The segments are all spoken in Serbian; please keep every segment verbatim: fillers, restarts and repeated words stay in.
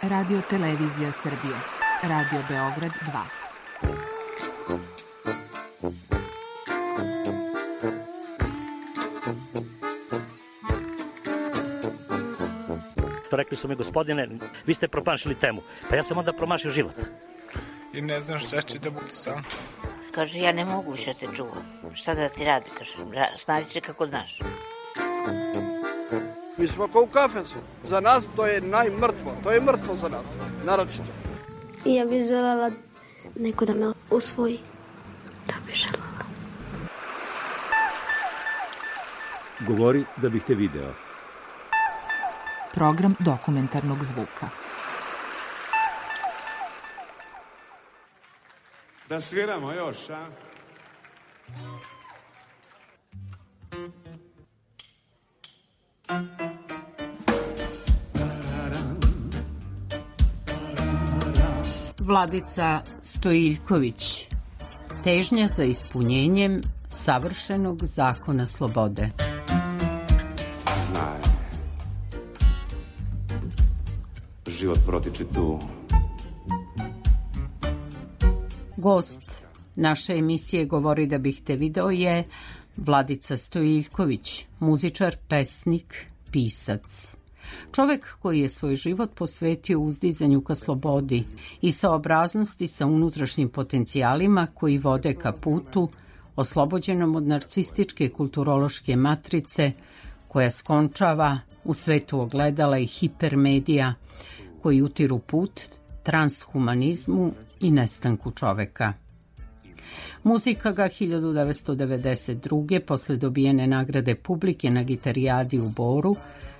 Radio Televizija Srbije. Radio Beograd dva. Rekli su mi, gospodine, vi ste promašili temu. Pa ja sam onda promašio život. I ne znam šta će da bude sam. Kaže, ja ne mogu više te čuvam. Šta da ti radi, kaže, snađi se kako znaš. Mi smo kao u kafesu. Za nas to je najmrtvo. To je mrtvo za nas, naročito. I ja bih želela neko da me usvoji. To bih želela. Govori da bih te video. Program dokumentarnog zvuka. Da sviramo još, a? Vladica Stojiljković. Težnja za ispunjenjem savršenog zakona slobode. Znaj. Život protiče tu. Gost naše emisije Govori da bih te video je Vladica Stojiljković, muzičar, pesnik, pisac. Čovek koji je svoj život posvetio uzdizanju ka slobodi i saobraznosti sa unutrašnjim potencijalima koji vode ka putu oslobođenom od narcističke kulturološke matrice koja skončava u svetu ogledala i hipermedija koji utiru put transhumanizmu i nestanku čoveka. Muzika ga hiljadu devetsto devedeset druge posle dobijene nagrade publike na Gitarijadi u Boru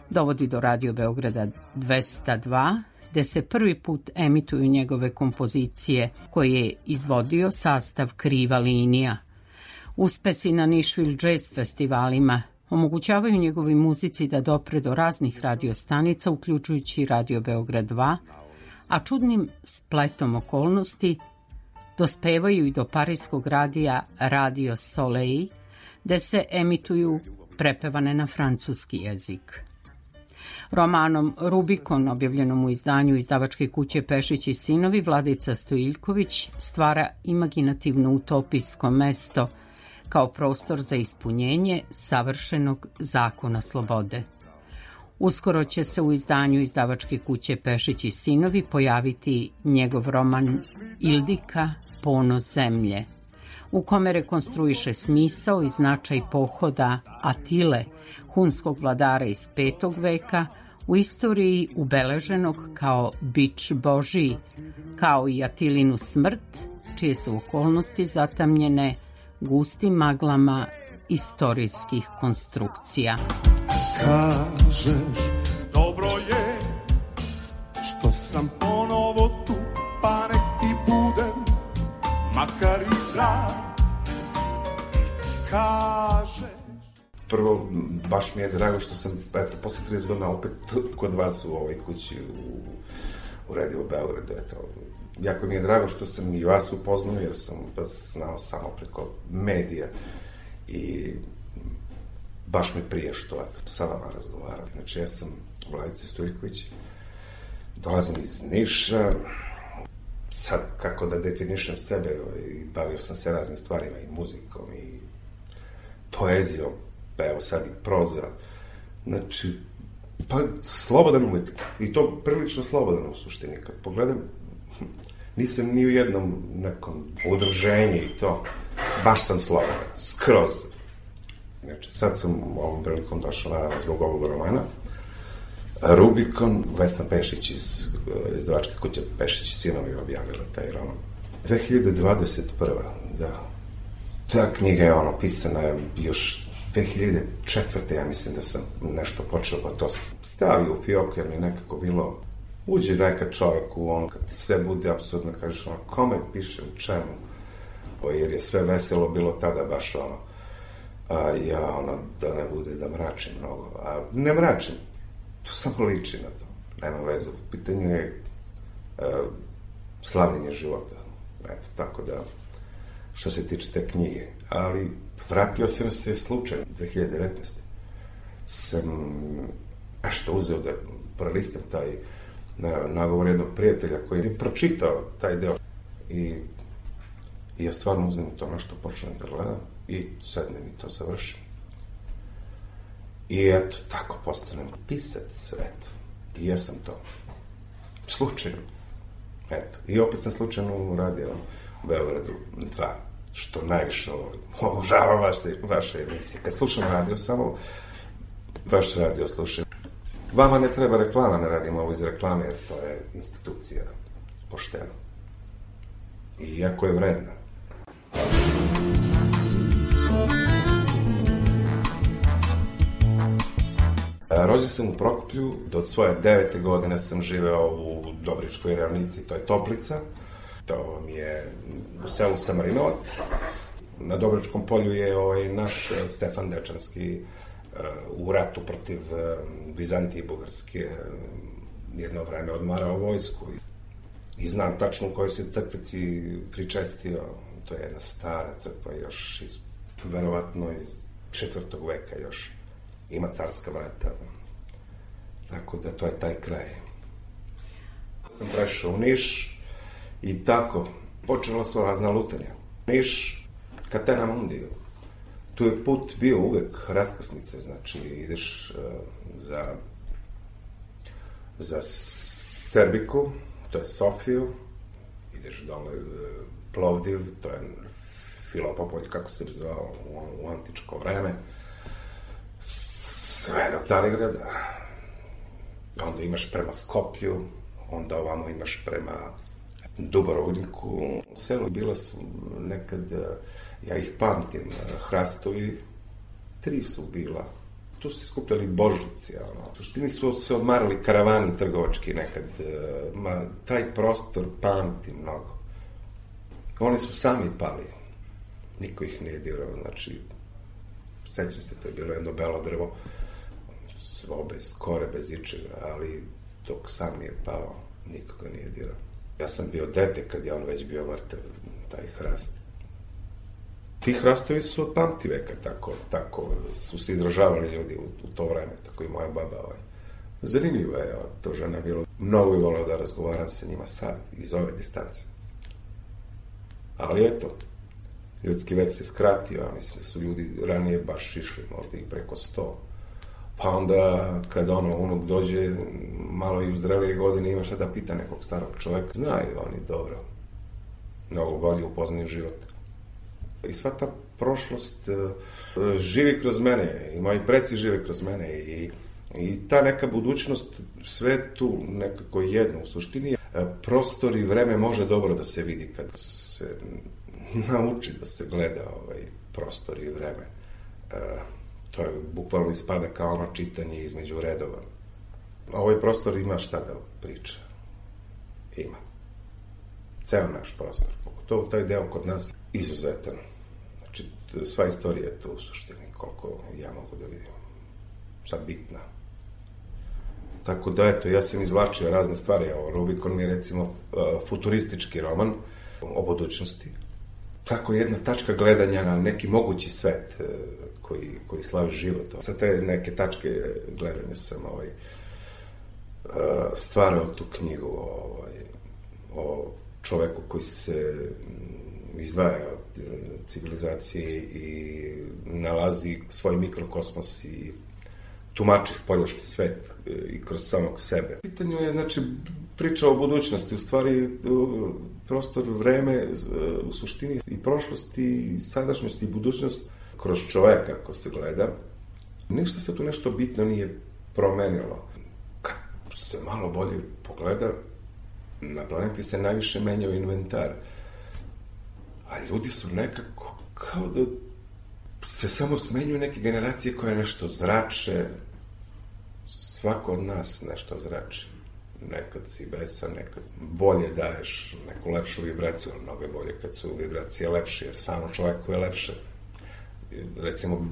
dovodi do Radio Beograda dvesta dva, gde se prvi put emituju njegove kompozicije koje je izvodio sastav Kriva linija. Uspesi na Nashville Jazz festivalima omogućavaju njegovoj muzici da dopre do raznih radiostanica, uključujući Radio Beograd dva, a čudnim spletom okolnosti dospevaju i do parijskog radija Radio Soleil, gde se emituju prepevane na francuski jezik. Romanom Rubikon, objavljenom u izdanju izdavačke kuće Pešić i sinovi, Vladica Stojiljković stvara imaginativno utopijsko mesto kao prostor za ispunjenje savršenog zakona slobode. Uskoro će se u izdanju izdavačke kuće Pešić i sinovi pojaviti njegov roman Ildika, ponos zemlje, u kome rekonstruiše smisao i značaj pohoda Atile, hunskog vladara iz petog veka, u istoriji ubeleženog kao bič Božiji, kao i Atilinu smrt, čije su okolnosti zatamnjene gustim maglama istorijskih konstrukcija. Kažeš, dobro je što sam ponovo tu, pa nek ti budem makar i zdrav. Kažeš. Prvo, baš mi je drago što sam, eto, posle trideset godina opet kod vas u ovoj kući u, u Radio Beogradu, eto. Jako mi je drago što sam i vas upoznao, jer sam vas znao samo preko medija i baš mi prije što, eto, sa vama razgovaram. Znači, ja sam Vladica Stojiljković, dolazim iz Niša, sad kako da definišem sebe, bavio sam se raznim stvarima i muzikom i poezijom, pa evo sad i proza, znači, pa slobodan umetnik, i to prilično slobodan u suštini, kad pogledam, nisam ni u jednom nekom udruženju i to, baš sam slobodan, skroz. Znači, sad sam ovom prilikom došao naravno zbog ovog romana, Rubikon, Vesna Pešić iz izdavačke kuće Pešić i sinovi objavila taj roman. dve hiljade dvadeset prva. da. Ta knjiga je ono pisana još dve hiljade četvrte. ja mislim da sam nešto počeo, pa to stavio u fioku, jer mi je nekako bilo, uđe neka čovek u ono, kad sve bude apsolutno, kažeš ono, kome pišem, čemu, o, jer je sve veselo bilo tada baš ono, a ja ono, da ne bude da mračim mnogo, a ne mračim, to samo liči na to, nema veze, u pitanju je uh, slavljenje života, eto, tako da, što se tiče te knjige, ali vratio sam se slučajno, dve hiljade devetnaeste. Sam nešto uzeo da prelistam taj na nagovor jednog prijatelja koji je pročitao taj deo. I, i ja stvarno uzmem to nešto, počnem da gledam i sednem i to završim. I eto, tako postanem pisac, eto. I jesam to. Slučajno. Eto. I opet sam slučajno uradio Beogradu dva, što najviše obožavam vaše, vaše emisije. Kad slušam radio, samo vaš radio slušam. Vama ne treba reklama, ne radimo ovo iz reklame, jer to je institucija poštena. I jako je vredna. Rođen sam u Prokuplju, do svoje devete godine sam živeo u Dobričkoj ravnici, to je Toplica. To mi je u selu Samarinovac. Na Dobričkom polju je ovaj naš Stefan Dečanski u ratu protiv Bizantije i Bugarske jedno vreme odmarao vojsku. I znam tačno u kojoj se crkvici pričestio. To je jedna stara crkva još iz, verovatno iz četvrtog veka još. Ima carska vrata. Tako da to je taj kraj. Sam prešao u Niš i tako počela su razna lutanja. Niš, Catena Mundi. Tu je put bio uvek raskrsnice, znači ideš uh, za za Serbiku, to je Sofiju, ideš dole uh, Plovdiv, to je Filopopolj, kako se zvao u, u antičko vreme. Sve do Carigrada, onda imaš prema Skoplju, onda ovamo imaš prema Dubrovniku. Selo bila su nekad, ja ih pamtim, hrastovi, tri su bila. Tu su se skupljali božlici, ono. U suštini su se odmarali karavani trgovački nekad, ma taj prostor pamtim mnogo. Oni su sami pali, niko ih nije dirao, znači, sećam se, to je bilo jedno belo drvo, svo bez kore, bez ičega, ali dok sam nije pao, nikoga nije dirao. Ja sam bio dete kad je on već bio mrtav, taj hrast. Ti hrastovi su od pamti veka, tako, tako su se izražavali ljudi u, u to vreme, tako i moja baba. Ovaj. Zanimljivo je, to žena bilo. Mnogo je voleo da razgovaram sa njima sad, iz ove distance. Ali eto, ljudski vek se skratio, a mislim da su ljudi ranije baš išli, možda i preko sto. Pa onda, kada ono, unuk dođe, malo i u zrelije godine, ima šta da pita nekog starog čoveka. Znaju oni dobro. Mnogo bolje upoznaju život. I sva ta prošlost uh, živi kroz mene, i moji preci žive kroz mene, i, i ta neka budućnost, sve tu nekako jedno u suštini. Uh, prostor i vreme može dobro da se vidi kad se nauči da se gleda ovaj prostor i vreme. Uh, To je bukvalno ispada kao ono čitanje između redova. Ovaj prostor ima šta da priča. Ima. Ceo naš prostor. Pogotovo taj deo kod nas izuzetan. Znači, sva istorija je tu u suštini, koliko ja mogu da vidim. Sad bitna. Tako da, eto, ja sam izvlačio razne stvari. Ovo, Rubikon mi je, recimo, futuristički roman o budućnosti. Tako jedna tačka gledanja na neki mogući svet koji, koji slavi život. Sa te neke tačke gledanja sam ovaj, stvarao tu knjigu ovaj, o čoveku koji se izdvaja od civilizacije i nalazi svoj mikrokosmos i tumači spoljašnji svet i kroz samog sebe. Pitanje je, znači, priča o budućnosti, u stvari prostor, vreme, u suštini i prošlosti, i sadašnjosti i budućnost kroz čoveka, ako se gleda. Ništa se tu nešto bitno nije promenilo. Kad se malo bolje pogleda, na planeti se najviše menjao inventar. A ljudi su nekako kao da se samo smenjuju neke generacije koje nešto zrače. Svako od nas nešto zrači. Nekad si besan, nekad bolje daješ neku lepšu vibraciju, ali mnogo je bolje kad su vibracije lepše, jer samo čovjeku je lepše. Recimo,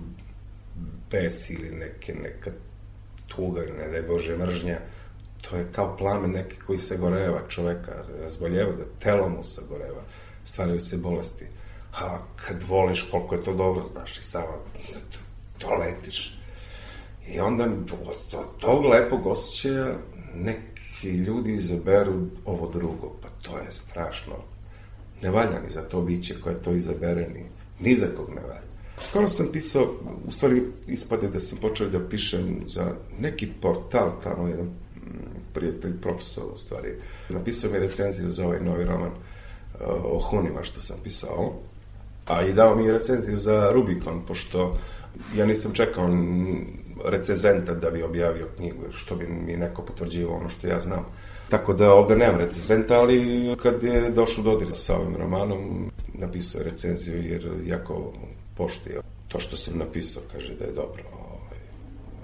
bes ili neke, neka tuga, ne daj Bože, mržnja, to je kao plamen neki koji se goreva čoveka, razboljeva, da telo mu se goreva, stvaraju se bolesti. A kad voliš koliko je to dobro, znaš, i samo to letiš. I onda od tog lepog osjećaja neki i ljudi izaberu ovo drugo, pa to je strašno. Ne valja ni za to biće koje to izabere, ni, ni za kog ne valja. Skoro sam pisao, u stvari ispade da sam počeo da pišem za neki portal, tamo jedan prijatelj, profesor u stvari, napisao mi recenziju za ovaj novi roman o Hunima što sam pisao, a i dao mi recenziju za Rubikon, pošto ja nisam čekao recenzenta da bi objavio knjigu, što bi mi neko potvrđivao ono što ja znam. Tako da ovde nemam recenzenta, ali kad je došao dodir sa ovim romanom, napisao je recenziju jer jako poštio to što sam napisao, kaže da je dobro.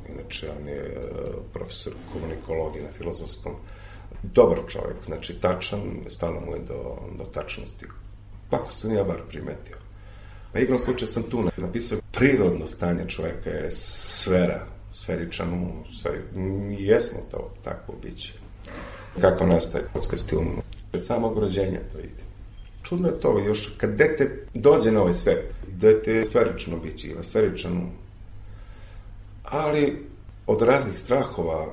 Inače, on je profesor komunikologije na filozofskom. Dobar čovjek, znači tačan, stalo mu je do, do tačnosti. Tako sam ja bar primetio. Na igrom slučaju sam tu napisao prirodno stanje čovjeka je sfera, sferičan um, sferi, jesmo to takvo biće. Kako nastaje kockasti um? Od samog rođenja to ide. Čudno je to, još kad dete dođe na ovaj svet, dete je sferično biće ili sferičan um. Ali od raznih strahova,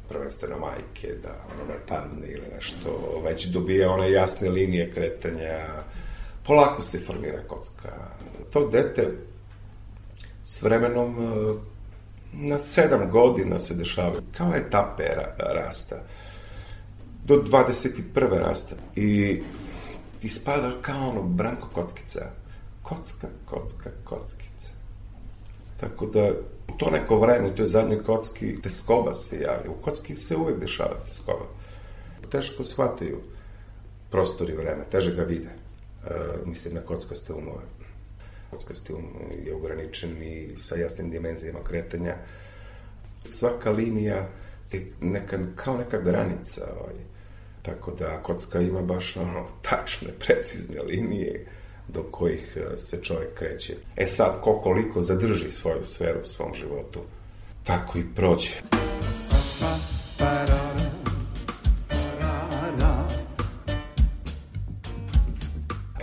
prvenstveno majke, da ono ne padne ili nešto, već dobija one jasne linije kretanja, polako se formira kocka. To dete s vremenom na sedam godina se dešava kao etape rasta. Do dvadeset prve rasta. I ispada kao ono Branko Kockica. Kocka, kocka, kockica. Tako da u to neko vreme, u toj zadnjoj kocki, teskoba se javi. U kocki se uvek dešava teskoba. Teško shvataju prostor i vreme, teže ga vide. E, mislim na kockaste umove. Kockasti um je ograničen i sa jasnim dimenzijama kretanja. Svaka linija je neka, kao neka granica. Ovaj. Tako da kocka ima baš ono, tačne, precizne linije do kojih se čovjek kreće. E sad, ko koliko zadrži svoju sferu u svom životu, tako i prođe.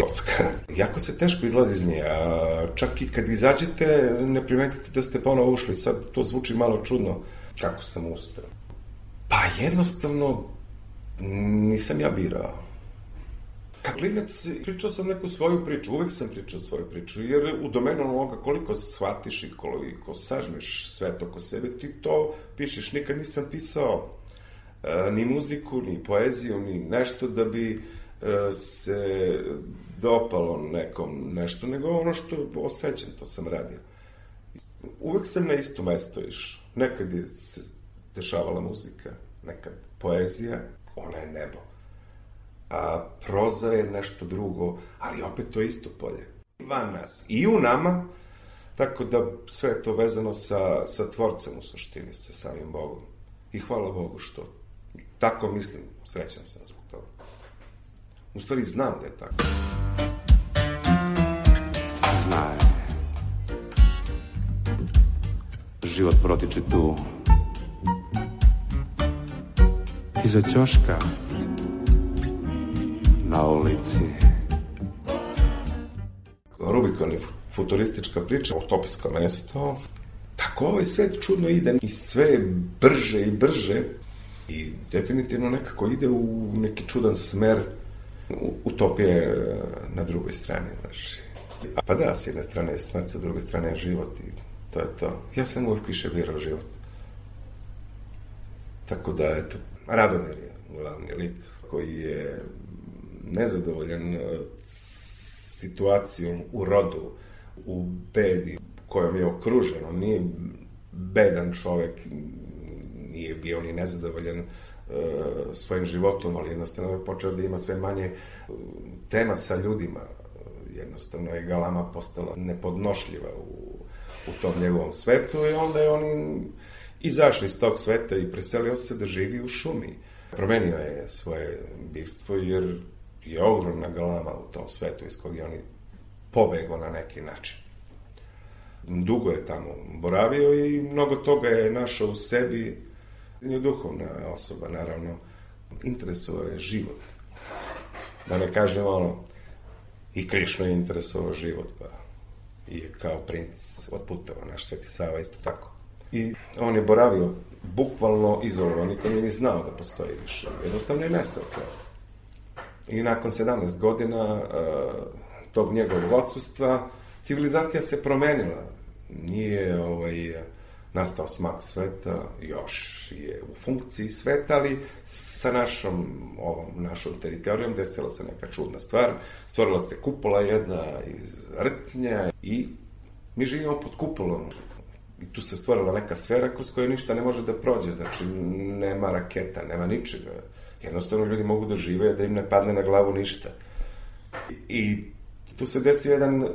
Kocka. Jako se teško izlazi iz nje, a čak i kad izađete, ne primetite da ste ponovo ušli. Sad to zvuči malo čudno. Kako sam uspeo? Pa jednostavno, nisam ja birao. Kad klinac, pričao sam neku svoju priču, uvek sam pričao svoju priču, jer u domenu onoga koliko shvatiš i koliko sažmeš sve to oko sebe, ti to pišeš. Nikad nisam pisao e, ni muziku, ni poeziju, ni nešto da bi e, se dopalo nekom nešto, nego ono što osjećam, to sam radio. Uvek sam na isto mesto išao. Nekad je se dešavala muzika, nekad poezija, ona je nebo. A proza je nešto drugo, ali opet to isto polje. Van nas i u nama, tako da sve je to vezano sa, sa tvorcem u suštini, sa samim Bogom. I hvala Bogu što tako mislim, srećan sam zbog toga. U stvari znam da je tako. Znaj, život protiče tu, iza ćoška, na ulici. Rubikon je futuristička priča, utopijsko mesto. Tako ovaj svet čudno ide i sve brže i brže i definitivno nekako ide u neki čudan smer. Utopije na drugoj strani, znači. A pa da, s jedne strane je smrt, sa druge strane je život i to je to. Ja sam uvijek više birao život. Tako da, eto, Radomir je glavni lik koji je nezadovoljan situacijom u rodu, u bedi kojom je okružen. On nije bedan čovek, nije bio ni nezadovoljan uh, svojim životom, ali jednostavno je počeo da ima sve manje tema sa ljudima. Jednostavno je galama postala nepodnošljiva u, u tom njegovom svetu i onda je on izašao iz tog sveta i preselio se da živi u šumi. Promenio je svoje bivstvo jer je ogromna galama u tom svetu iz kog je on pobegao na neki način. Dugo je tamo boravio i mnogo toga je našao u sebi. Je duhovna osoba, naravno. Interesovao je život. Da ne kažem ono, i Krišna je interesovao život, pa i je kao princ otputovao, naš Sveti Sava isto tako. I on je boravio bukvalno izolovan, niko nije ni znao da postoji više. Jednostavno je nestao to. I nakon sedamnaest godina uh, tog njegovog odsustva, civilizacija se promenila. Nije ovaj, nastao smak sveta, još je u funkciji sveta, ali sa našom, ovom, našom teritorijom desila se neka čudna stvar. Stvorila se kupola jedna iz rtnja i mi živimo pod kupolom. I tu se stvorila neka sfera kroz koju ništa ne može da prođe. Znači, nema raketa, nema ničega. Jednostavno ljudi mogu da žive, da im ne padne na glavu ništa. I tu se desio jedan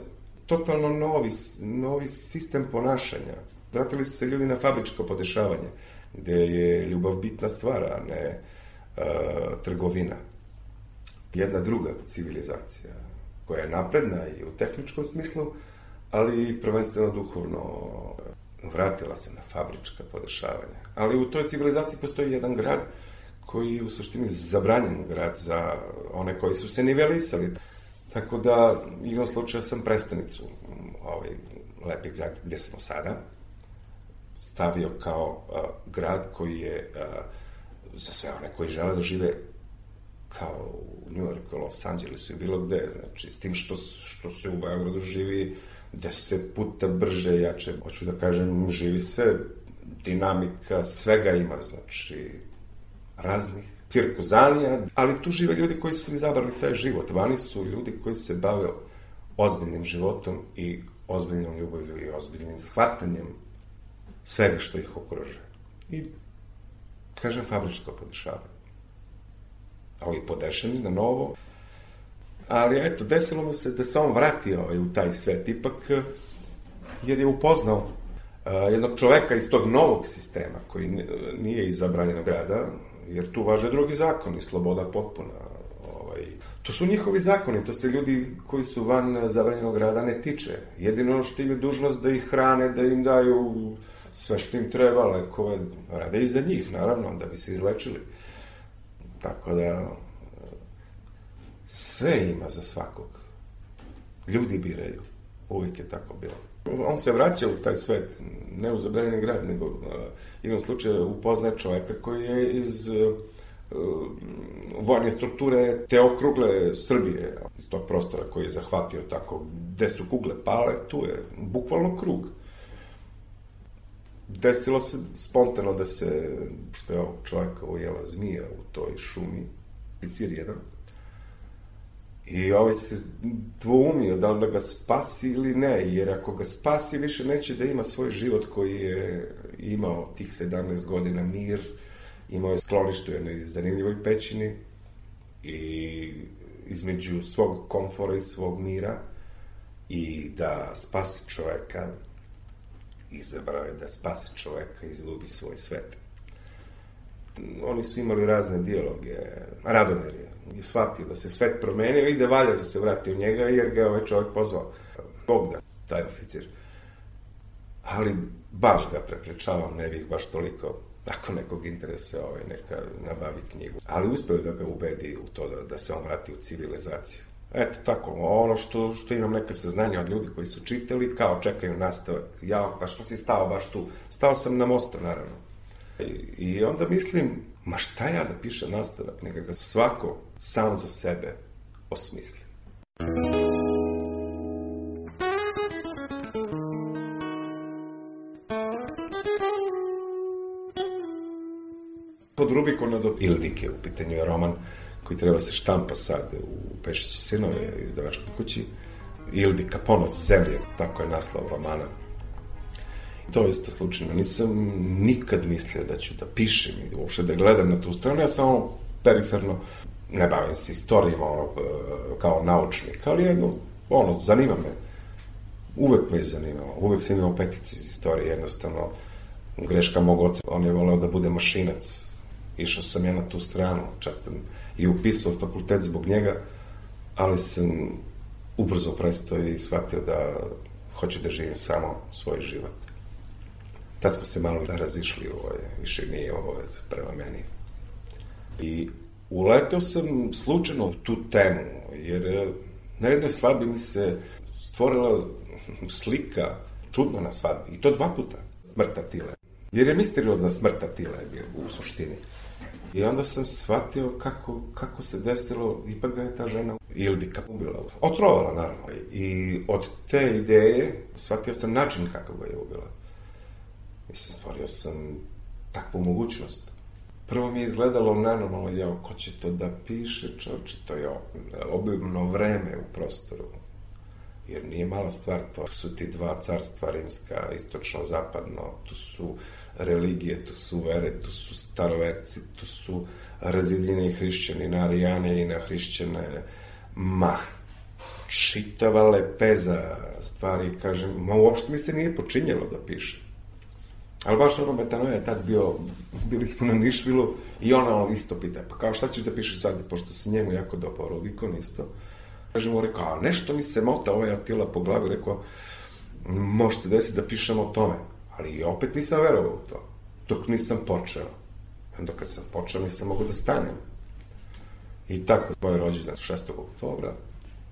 totalno novi, novi sistem ponašanja. Vratili su se ljudi na fabričko podešavanje, gde je ljubav bitna stvar, a ne uh, trgovina. Jedna druga civilizacija, koja je napredna i u tehničkom smislu, ali prvenstveno duhovno vratila se na fabrička podešavanja. Ali u toj civilizaciji postoji jedan grad koji je u suštini zabranjen grad za one koji su se nivelisali. Tako da, igrom slučaja sam prestonicu, ovaj lepi grad gde smo sada, stavio kao uh, grad koji je uh, za sve one koji žele da žive kao u New Yorku, Los Angelesu i bilo gde, znači s tim što, što se u Beogradu živi deset puta brže, jače, hoću da kažem, živi se, dinamika, svega ima, znači raznih cirkuzanija, ali tu žive ljudi koji su izabrali taj život. Vani su ljudi koji se bave ozbiljnim životom i ozbiljnom ljubavlju i ozbiljnim shvatanjem svega što ih okruže. I, kažem, fabričko podešavanje. Ali podešeni na novo. Ali, eto, desilo mu se da se on vratio ovaj, u taj svet ipak, jer je upoznao uh, jednog čoveka iz tog novog sistema, koji nije iz zabranjenog grada, jer tu važe drugi zakoni, sloboda potpuna. Ovaj. To su njihovi zakoni, to se ljudi koji su van zabranjenog grada ne tiče. Jedino što im je dužnost da ih hrane, da im daju sve što im treba, lekove, rade i za njih, naravno, da bi se izlečili. Tako da, sve ima za svakog. Ljudi biraju. Uvijek je tako bilo. On se vraća u taj svet, ne u zabranjeni grad, nego uh, jednom slučaju upoznaje čoveka koji je iz uh, vojne strukture te okrugle Srbije, iz tog prostora koji je zahvatio tako, gde su kugle pale, tu je bukvalno krug. Desilo se spontano da se, što je ovog čoveka ujela zmija u toj šumi, Sir jedan, i ovaj se dvoumio da li da ga spasi ili ne, jer ako ga spasi više neće da ima svoj život koji je imao tih sedamnaest godina, mir, imao je sklonište u jednoj zanimljivoj pećini i između svog komfora i svog mira, i da spasi čoveka, izabrao je da spasi čoveka i izgubi svoj svet. Oni su imali razne dijaloge. Radomir je, je shvatio da se svet promenio i da valja da se vrati u njega, jer ga je ovaj čovjek pozvao. Bogdan, taj oficir. Ali baš ga preprečavam, ne bih baš toliko, ako nekog interese, ovaj, neka nabavi knjigu. Ali uspeo da ga ubedi u to da, da se on vrati u civilizaciju. Eto tako, ono što, što imam neka saznanja od ljudi koji su čitali, kao čekaju nastavak. Ja, pa što si stao baš tu? Stao sam na mostu, naravno. I, i onda mislim, ma šta ja da pišem nastavak? Neka ga svako sam za sebe osmisli. Pod Rubikona do Ildike, u pitanju je roman koji treba se štampa sad u Pešići sinove izdavačkoj kući. Ildika, ponos zemlje, tako je naslov romana. To je isto slučajno. Nisam nikad mislio da ću da pišem i uopšte da gledam na tu stranu. Ja samo periferno ne bavim se istorijama ono, kao naučnik, ali jedno, ono, zanima me. Uvek me je zanimalo. Uvek sam imao peticu iz istorije. Jednostavno, greška mog oca, on je voleo da bude mašinac. Išao sam ja na tu stranu, čak sam i upisao fakultet zbog njega, ali sam ubrzo prestao i shvatio da hoću da živim samo svoj život. Tad smo se malo razišli, ovo je, više nije obavez prema meni. I uleteo sam slučajno u tu temu, jer na jednoj svadbi mi se stvorila slika čudna na svadbi, i to dva puta, smrt Atile. Jer je misteriozna smrt Atile u suštini. I onda sam shvatio kako, kako se desilo, ipak ga je ta žena Ildika ubila. Otrovala, naravno. I od te ideje shvatio sam način kako ga je ubila. Mislim, stvorio sam takvu mogućnost. Prvo mi je izgledalo nenormalno, jao, ko će to da piše, čovječe, to je obimno vreme u prostoru. Jer nije mala stvar to. Tu su ti dva carstva, rimska, istočno-zapadno, tu su religije, tu su vere, tu su staroverci, tu su razidljeni hrišćani na arijane i na hrišćane. Mah, čitava lepeza stvari, kažem, ma uopšte mi se nije počinjelo da piše. Ali baš ono Metanoja je tad bio, bili smo na Nišvilu i ona isto pita, pa kao šta ćeš da pišeš sad, pošto se njemu jako dopao Rodikon isto. Kažem mu, rekao, a nešto mi se mota ovaj Atila po glavi, rekao, može se desiti da pišem o tome. Ali opet nisam verovao u to, dok nisam počeo. Onda kad sam počeo, nisam mogu da stanem. I tako, moj rođendan šestog oktobra,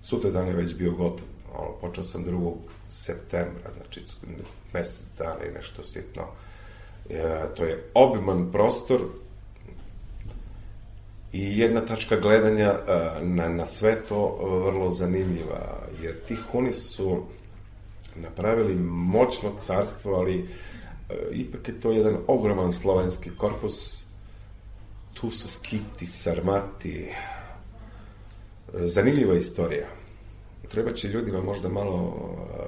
sutra dan je već bio gotov. Ono, počeo sam drugog septembra, znači mesec dana i nešto sitno. E, to je obiman prostor i jedna tačka gledanja e, na, na sve to vrlo zanimljiva, jer ti Huni su napravili moćno carstvo, ali e, ipak je to jedan ogroman slovenski korpus. Tu su Skiti, Sarmati, zanimljiva istorija. Treba će ljudima možda malo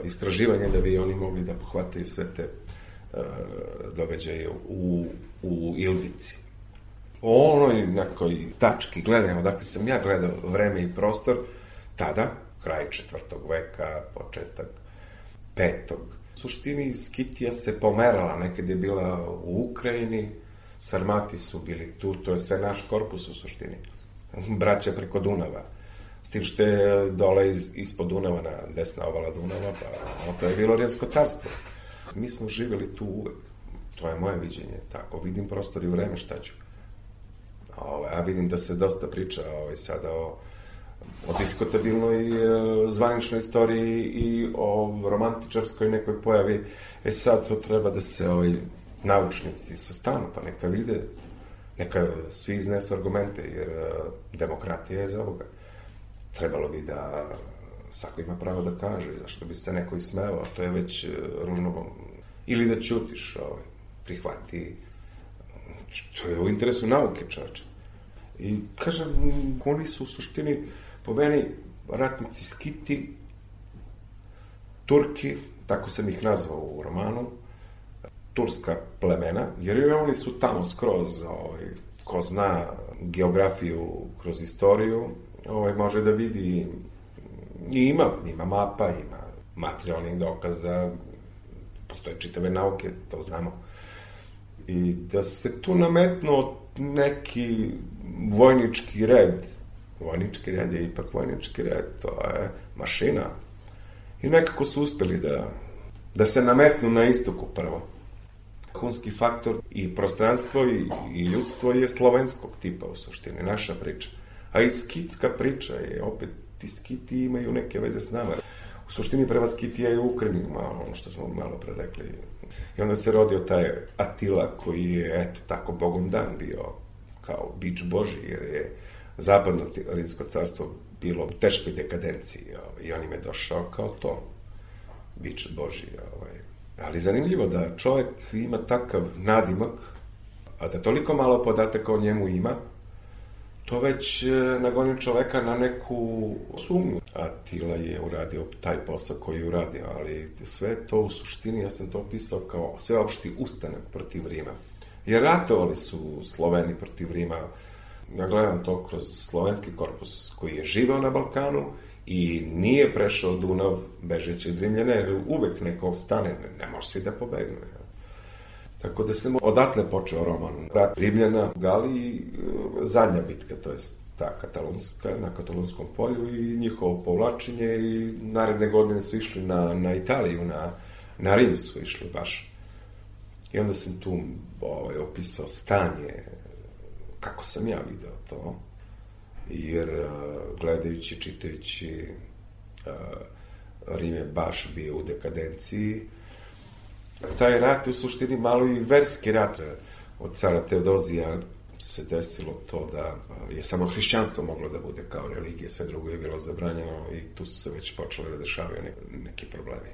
istraživanja da bi oni mogli da pohvataju sve te uh, događaje u, u Ildici. O onoj nekoj tački gledanja, dakle sam ja gledao vreme i prostor, tada, kraj četvrtog veka, početak petog. U suštini Skitija se pomerala, nekad je bila u Ukrajini, Sarmati su bili tu, to je sve naš korpus u suštini. Braća preko Dunava. S tim što je dole iz, ispod Dunava, na desna ovala Dunava, pa no, to je bilo Rimsko carstvo. Mi smo živjeli tu uvek. To je moje viđenje. Tako, vidim prostor i vreme, šta ću. Ove, a vidim da se dosta priča ovaj, sada o, o diskutabilnoj e, zvaničnoj istoriji i o romantičarskoj nekoj pojavi. E sad to treba da se ovaj, naučnici sastanu, pa neka vide, neka svi iznesu argumente, jer e, demokratija je za ovoga. Trebalo bi da svako ima pravo da kaže, zašto bi se neko ismevao, to je već ružno. Ili da ćutiš, ovaj, prihvati, to je u interesu nauke, čovječe. I kažem, oni su u suštini, po meni, ratnici Skiti, Turki, tako sam ih nazvao u romanu, turska plemena, jer oni su tamo skroz, ovaj, ko zna geografiju kroz istoriju, ovaj, može da vidi i ima, ima mapa, ima materijalnih dokaza, postoje čitave nauke, to znamo. I da se tu nametno neki vojnički red, vojnički red je ipak vojnički red, to je mašina. I nekako su uspeli da, da se nametnu na istoku prvo. Hunski faktor i prostranstvo i, i ljudstvo je slovenskog tipa u suštini, naša priča. A i skitska priča je, opet, ti Skiti imaju neke veze s nama. U suštini prva Skitija je u Ukrajini, malo, ono što smo malo pre rekli. I onda se rodio taj Atila koji je, eto, tako bogom dan bio kao bič Boži, jer je zapadno Rimsko carstvo bilo u teškoj dekadenciji. Ovaj, i on im je došao kao to, bič Boži. Ovaj. Ali zanimljivo da čovjek ima takav nadimak, a da toliko malo podataka o njemu ima, to već nagoni čoveka na neku sumnju. Atila je uradio taj posao koji je uradio, ali sve to u suštini, ja sam to opisao kao sveopšti ustanak protiv Rima. Jer ratovali su Sloveni protiv Rima. Ja gledam to kroz slovenski korpus koji je živeo na Balkanu i nije prešao Dunav bežeći od Rimljana, jer uvek neko stane, ne, ne može svi da pobegnu. Tako da sam odatle počeo roman. Rat Rimljana u Galiji, zadnja bitka, to je ta katalonska, na Katalonskom polju i njihovo povlačenje i naredne godine su išli na, na Italiju, na, na Rim su išli baš. I onda sam tu ovaj, opisao stanje, kako sam ja video to, jer gledajući, čitajući, Rim je baš bio u dekadenciji Taj rat je u suštini malo i verski rat. Od cara Teodozija se desilo to da je samo hrišćanstvo moglo da bude kao religija, sve drugo je bilo zabranjeno i tu su se već počele da dešavaju neki problemi.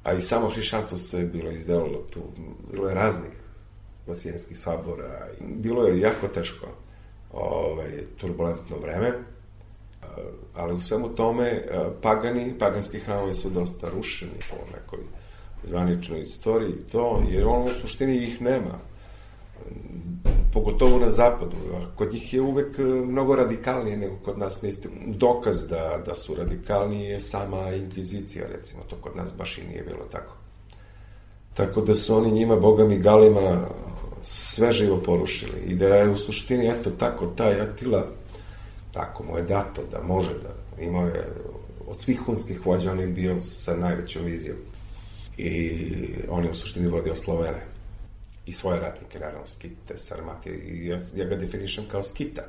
A i samo hrišćanstvo se bilo izdelalo tu. Bilo je raznih vasijenskih sabora. Bilo je jako teško, ovaj, turbulentno vreme, ali u svemu tome pagani, paganski hramovi su dosta rušeni po nekoj zvaničnoj istoriji, to, jer ono u suštini ih nema. Pogotovo na zapadu. Kod njih je uvek mnogo radikalnije nego kod nas na isti. Dokaz da, da su radikalnije je sama inkvizicija, recimo. To kod nas baš i nije bilo tako. Tako da su oni njima, bogami Galima, sve živo porušili. I da je u suštini, eto tako, taj Atila, tako mu je dato da može da imao je od svih hunskih vođa, on je bio sa najvećom vizijom. I on je u suštini vodio Slovene. I svoje ratnike, naravno, skite, sarmate, i ja, ja ga definišem kao skita.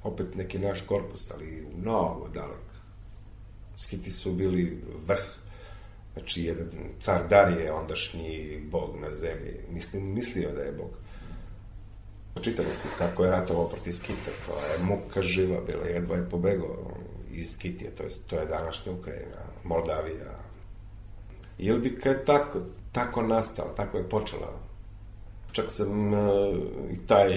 Opet neki naš korpus, ali mnogo dalek. Skiti su bili vrh. Znači, jedan car Darije, ondašnji bog na zemlji, mislim, mislio da je bog. Čitali ste kako je ratovao protiv Skita, to je muka živa bila, jedva je pobegao iz Skitije, to je, to je današnja Ukrajina, Moldavija. Ildika je tako, tako nastala, tako je počela. Čak sam uh, i taj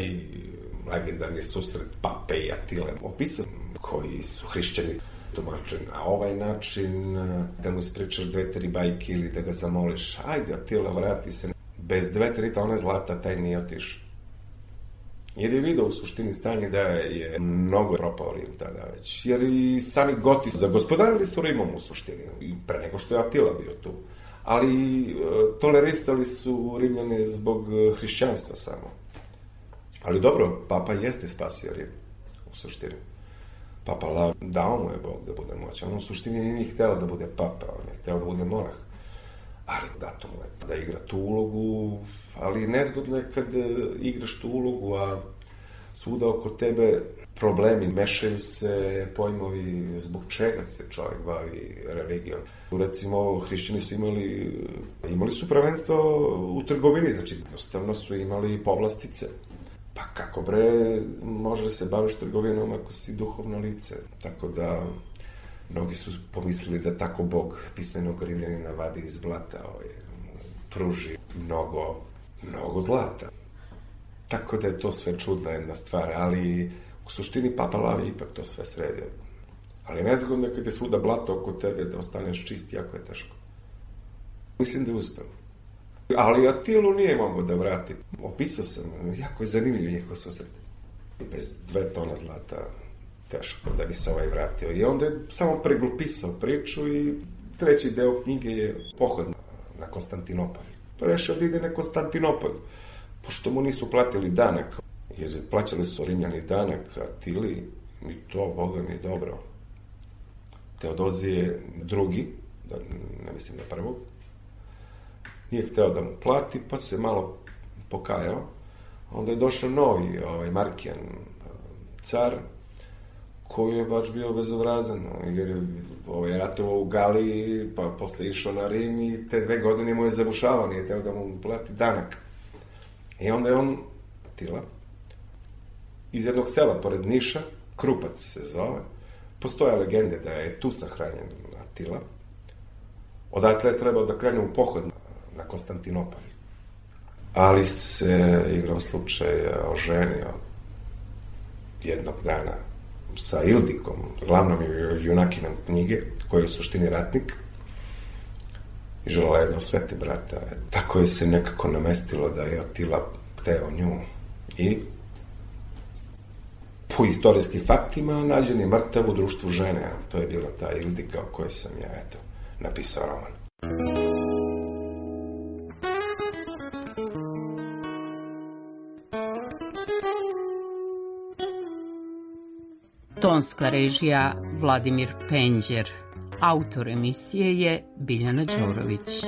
legendarni susret Pape i Atile opisao, koji su hrišćani tumačen na ovaj način, da mu ispričaš dve, tri bajke ili da ga zamoliš, ajde Atila, vrati se. Bez dve, tri tone zlata taj nije otišao. Jer je vidio u suštini stanje da je mnogo propao Rim tada već. Jer i sami Goti zagospodarili su Rimom u suštini, i pre nego što je Atila bio tu. Ali e, tolerisali su Rimljane zbog hrišćanstva samo. Ali dobro, Papa jeste spasio Rim u suštini. Papa Lav, dao mu je Bog da bude moćan. On u suštini nije hteo da bude papa, on je hteo da bude monah. Ali dato mu je da igra tu ulogu, ali nezgodno je kad igraš tu ulogu, a svuda oko tebe problemi, mešaju se pojmovi zbog čega se čovjek bavi religijom. Recimo, hrišćani su imali, imali su prvenstvo u trgovini, znači jednostavno su imali povlastice. Pa kako bre, može se baviš trgovinom ako si duhovno lice. Tako da, mnogi su pomislili da tako Bog pismenog Rimljanina vadi iz blata, ovaj, pruži mnogo, mnogo zlata. Tako da je to sve čudna jedna stvar, ali u suštini Papa Lav je ipak to sve sredio. Ali nezgodno je kad je svuda blato oko tebe da ostaneš čist, jako je teško. Mislim da je uspeo. Ali Atilu nije mogao da vrati. Opisao sam, jako je zanimljiv njihov susret. Bez dve tona zlata teško da bi se ovaj vratio. I onda je samo preglupisao priču i treći deo knjige je pohod na Konstantinopolj. Pa rešio da ide na Konstantinopolj, pošto mu nisu platili danak, jer plaćali su Rimljani danak Atili, i to, Boga mi, dobro. Teodozije drugi, da ne mislim na prvog, nije hteo da mu plati, pa se malo pokajao. Onda je došao novi, ovaj, Markijan car, koji je baš bio bezobrazan, jer je ovaj, ratovao u Galiji, pa posle išao na Rim i te dve godine mu je zabušavao, nije hteo da mu plati danak. I onda je on, Atila, iz jednog sela pored Niša, Krupac se zove, postoje legende da je tu sahranjen Atila. Odatle je trebao da krene u pohod na Konstantinopolj. Ali se igrom slučaja oženio jednog dana sa Ildikom, glavnom junakinom knjige, koji je u suštini ratnik, i želela jedno svete brata. Tako je se nekako namestilo da je Atila hteo nju. I po istorijskim faktima nađen je mrtav u društvu žene. To je bila ta Ildika o kojoj sam ja, eto, napisao roman. Tonska režija Vladimir Penđer. Autor emisije je Biljana Đorović.